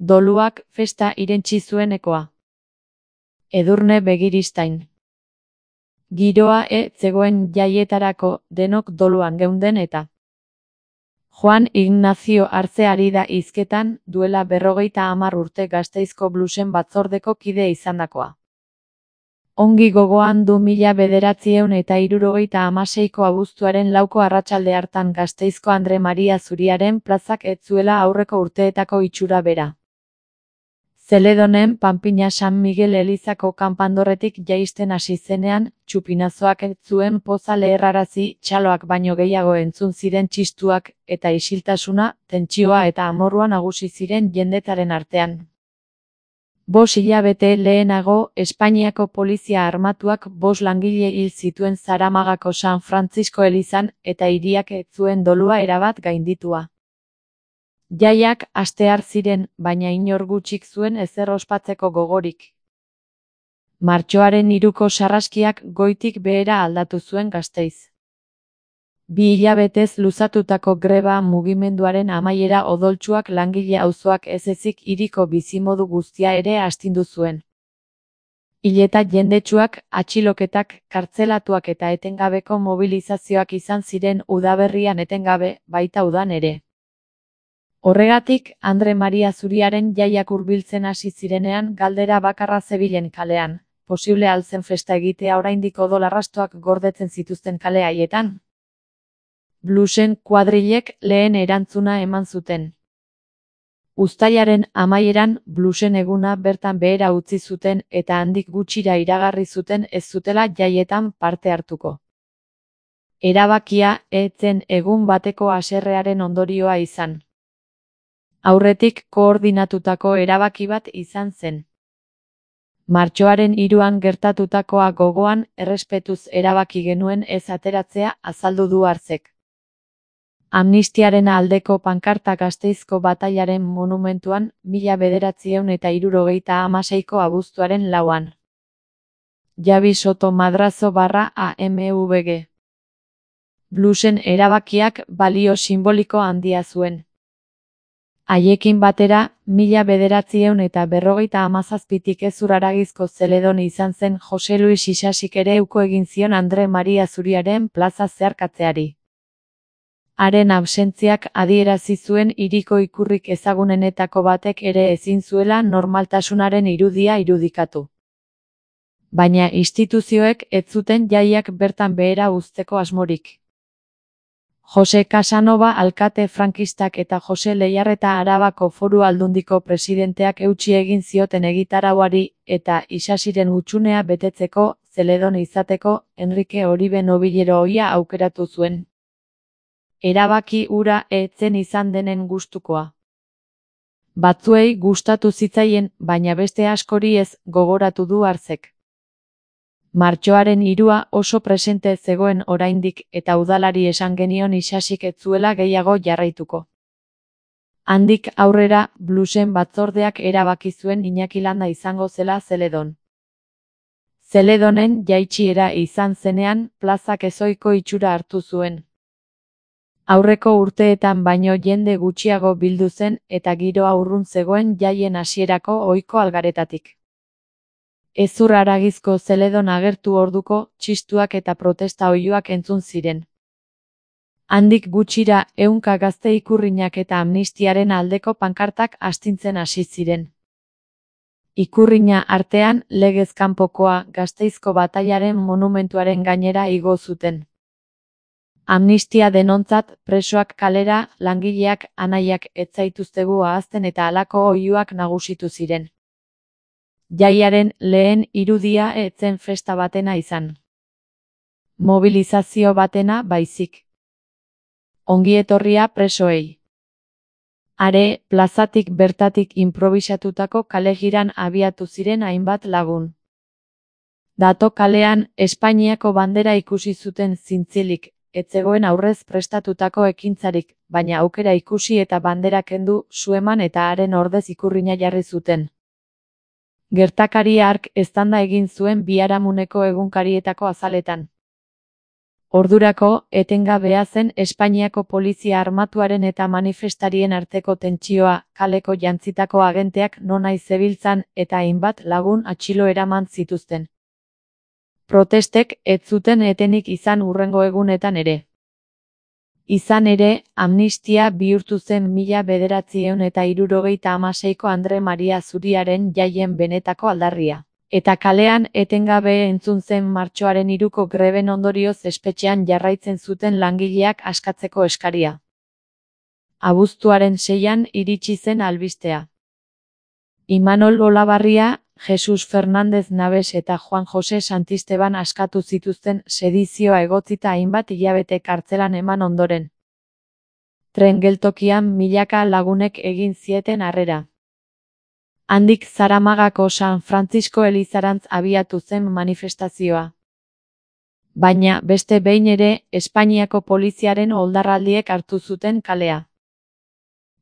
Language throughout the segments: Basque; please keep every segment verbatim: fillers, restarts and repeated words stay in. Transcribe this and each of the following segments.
Doluak festa irentsi zuenekoa. Edurne Begiristain. Giroa e zegoen jaietarako, denok doluan geunden eta. Juan Ignacio Arze ari da hizketan, duela berrogeita hamar urte Gasteizko bluesen batzordeko kide izandakoa. Ongi gogoan du mila bederatziehun eta hirurogeita hamaseiko abuztuaren lauko arratsalde hartan Gasteizko Andre Maria Zuriaren plazak ez zuela aurreko urteetako itxura bera. Zeledonen Panpina San Miguel elizako kanpandorretik jaisten hasi zenean, txupinazoak ez zuen poza leherrarazi, txaloak baino gehiago entzun ziren txistuak, eta isiltasuna, tentsioa eta amorrua nagusi ziren jendetaren artean. Bos hilabete lehenago, Espainiako polizia armatuak bos langile hil zituen Zaramagako San Frantzisko elizan, eta hiriak ez zuen dolua erabat gainditua. Jaiak astear ziren, baina inor gutxik zuen ezer ospatzeko gogorik. Martxoaren hiruko sarraskiak goitik behera aldatu zuen Gasteiz. Bi hilabetez luzatutako greba mugimenduaren amaiera odoltsuak langile auzoak ez ezik hiriko bizimodu guztia ere astindu zuen. Hileta jendetsuak, atxiloketak, kartzelatuak eta etengabeko mobilizazioak izan ziren udaberrian etengabe, baita udan ere. Horregatik, Andre Maria Zuriaren jaiak hurbiltzen hasi zirenean galdera bakarra zebilen kalean, posible al zen festa egitea oraindik odol arrastoak gordetzen zituzten kale haietan? Bluesen kuadrilek lehen erantzuna eman zuten. Uztailaren amaieran bluesen eguna bertan behera utzi zuten eta handik gutxira iragarri zuten ez zutela jaietan parte hartuko. Erabakia ez zen egun bateko haserrearen ondorioa izan. Aurretik koordinatutako erabaki bat izan zen. Martxoaren hiruan gertatutakoa gogoan errespetuz erabaki genuen ez ateratzea azaldu du Arzek. Amnistiaren aldeko pankarta Gasteizko batailaren monumentuan mila bederatziehun eta hirurogeita hamaseiko abuztuaren lauan. Javi Soto Madrazo barra A M V G. Bluesen erabakiak balio simboliko handia zuen. Haiekin batera, mila bederatziehun eta berrogeita hamazazpitik ezur haragizko Zeledon izan zen Jose Luis Isasik ere uko egin zion Andre Maria Zuriaren plaza zeharkatzeari. Haren absentziak adierazi zuen hiriko ikurrik ezagunenetako batek ere ezin zuela normaltasunaren irudia irudikatu. Baina instituzioek ez zuten jaiak bertan behera uzteko asmorik. Jose Casanova alkate frankistak eta Jose Leiarreta Arabako Foru Aldundiko presidenteak eutsi egin zioten egitarauari eta Isasiren hutsunea betetzeko, Zeledon izateko, Enrique Oribe Nobilero ohia aukeratu zuen. Erabaki hura ez zen izan denen gustukoa. Batzuei gustatu zitzaien, baina beste askori ez, gogoratu du Arzek. Martxoaren hirua oso presente zegoen oraindik eta udalari esan genion Isasik ez zuela gehiago jarraituko. Handik aurrera, bluesen batzordeak erabaki zuen Iñaki Landa izango zela Zeledon. Zeledonen jaitsiera izan zenean, plazak ezohiko itxura hartu zuen. Aurreko urteetan baino jende gutxiago bildu zen eta giroa urrun zegoen jaien hasierako ohiko algaretatik. Ezur haragizko Zeledon agertu orduko, txistuak eta protesta oihuak entzun ziren. Handik gutxira ehunka gazte ikurrinak eta amnistiaren aldeko pankartak astintzen hasi ziren. Ikurrina artean, legez kanpokoa Gasteizko batailaren monumentuaren gainera igo zuten. Amnistia denontzat, presoak kalera, langileak, anaiak ez zaituztegu ahazten eta halako oihuak nagusitu ziren. Jaiaren lehen irudia ez zen festa batena izan. Mobilizazio batena baizik. Ongietorria presoei. Are, plazatik bertatik improbisatutako kalegiran abiatu ziren hainbat lagun. Dato kalean, Espainiako bandera ikusi zuten zintzilik, ez zegoen aurrez prestatutako ekintzarik, baina aukera ikusi eta bandera kendu, su eman eta haren ordez ikurrina jarri zuten. Gertakari hark eztanda egin zuen biharamuneko egunkarietako azaletan. Ordurako, etengabea zen Espainiako polizia armatuaren eta manifestarien arteko tentsioa, kaleko jantzitako agenteak nonahi zebiltzan eta hainbat lagun atxilo eraman zituzten. Protestek ez zuten etenik izan hurrengo egunetan ere. Izan ere, amnistia bihurtu zen mila bederatziehun eta hirurogeita hamaseiko Andre Maria Zuriaren jaien benetako aldarria. Eta kalean etengabe entzun zen martxoaren hiruko greben ondorioz espetxean jarraitzen zuten langileak askatzeko eskaria. Abuztuaren seian iritsi zen albistea. Imanol Olabarria, Jesus Fernández Nabes eta Juan Jose Santisteban askatu zituzten sedizioa egotzita hainbat hilabete kartzelan eman ondoren. Tren geltokian milaka lagunek egin zieten harrera. Handik Zaramagako San Francisco elizarantz abiatu zen manifestazioa. Baina beste behin ere, Espainiako poliziaren oldarraldiek hartu zuten kalea.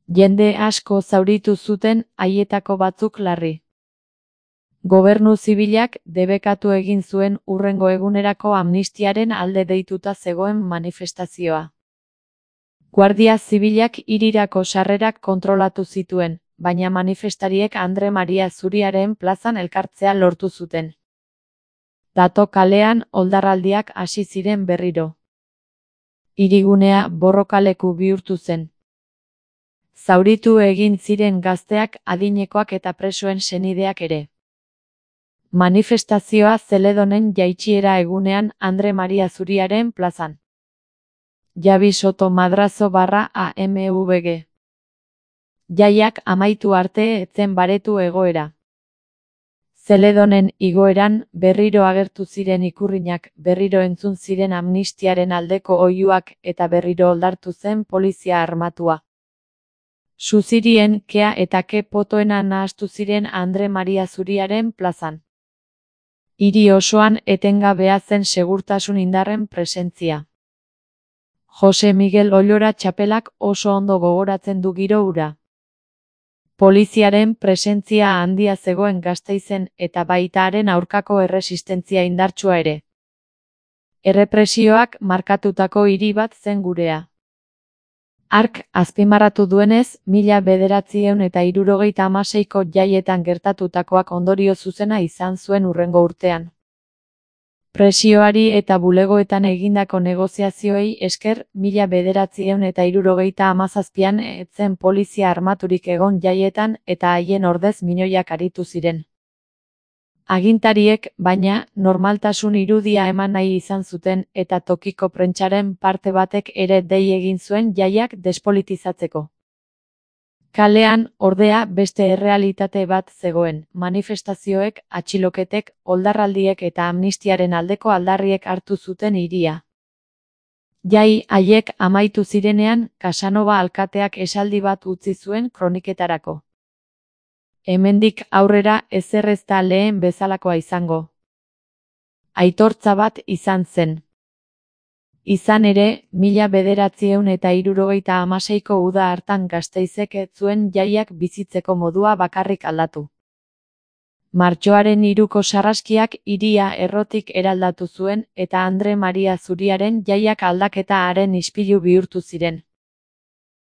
Jende asko zauritu zuten, haietako batzuk larri. Gobernu zibilak debekatu egin zuen hurrengo egunerako amnistiaren alde deituta zegoen manifestazioa. Guardia zibilak hirirako sarrerak kontrolatu zituen, baina manifestariek Andre Maria Zuriaren plazan elkartzea lortu zuten. Dato kalean oldarraldiak hasi ziren berriro. Hirigunea borrokaleku bihurtu zen. Zauritu egin ziren gazteak, adinekoak eta presoen senideak ere. Manifestazioa Zeledonen jaitsiera egunean Andre Maria Zuriaren plazan. Javi Soto Madrazo barra A M V G. Jaiak amaitu arte etzen baretu egoera. Zeledonen igoeran berriro agertu ziren ikurrinak, berriro entzun ziren amnistiaren aldeko oihuak eta berriro oldartu zen polizia armatua. Suzirien kea eta ke potoena nahastu ziren Andre Maria Zuriaren plazan. Hiri osoan etengabea zen segurtasun indarren presentzia. Jose Miguel Ollora txapelak oso ondo gogoratzen du giro hura. Poliziaren presentzia handia zegoen Gasteizen eta baita haren aurkako erresistentzia indartsua ere. Errepresioak markatutako hiri bat zen gurea. Hark azpimarratu duenez, mila bederatziehun eta hirurogeita hamaseiko jaietan gertatutakoak ondorio zuzena izan zuen hurrengo urtean. Presioari eta bulegoetan egindako negoziazioei esker, mila bederatziehun eta hirurogeita hamazazpian ez zen polizia armaturik egon jaietan eta haien ordez milioiak aritu ziren. Agintariek, baina, normaltasun irudia eman nahi izan zuten eta tokiko prentsaren parte batek ere dei egin zuen jaiak despolitizatzeko. Kalean, ordea, beste errealitate bat zegoen, manifestazioek, atxiloketek, oldarraldiek eta amnistiaren aldeko aldarriek hartu zuten hiria. Jai haiek amaitu zirenean, Casanova alkateak esaldi bat utzi zuen kroniketarako. Hemendik aurrera ezer ez da lehen bezalakoa izango. Aitortza bat izan zen. Izan ere, mila bederatziehun eta hirurogeita hamaseiko uda hartan Gasteizek ez zuen jaiak bizitzeko modua bakarrik aldatu. Martxoaren hiruko sarraskiak hiria errotik eraldatu zuen eta Andre Maria Zuriaren jaiak aldaketa haren ispilu bihurtu ziren.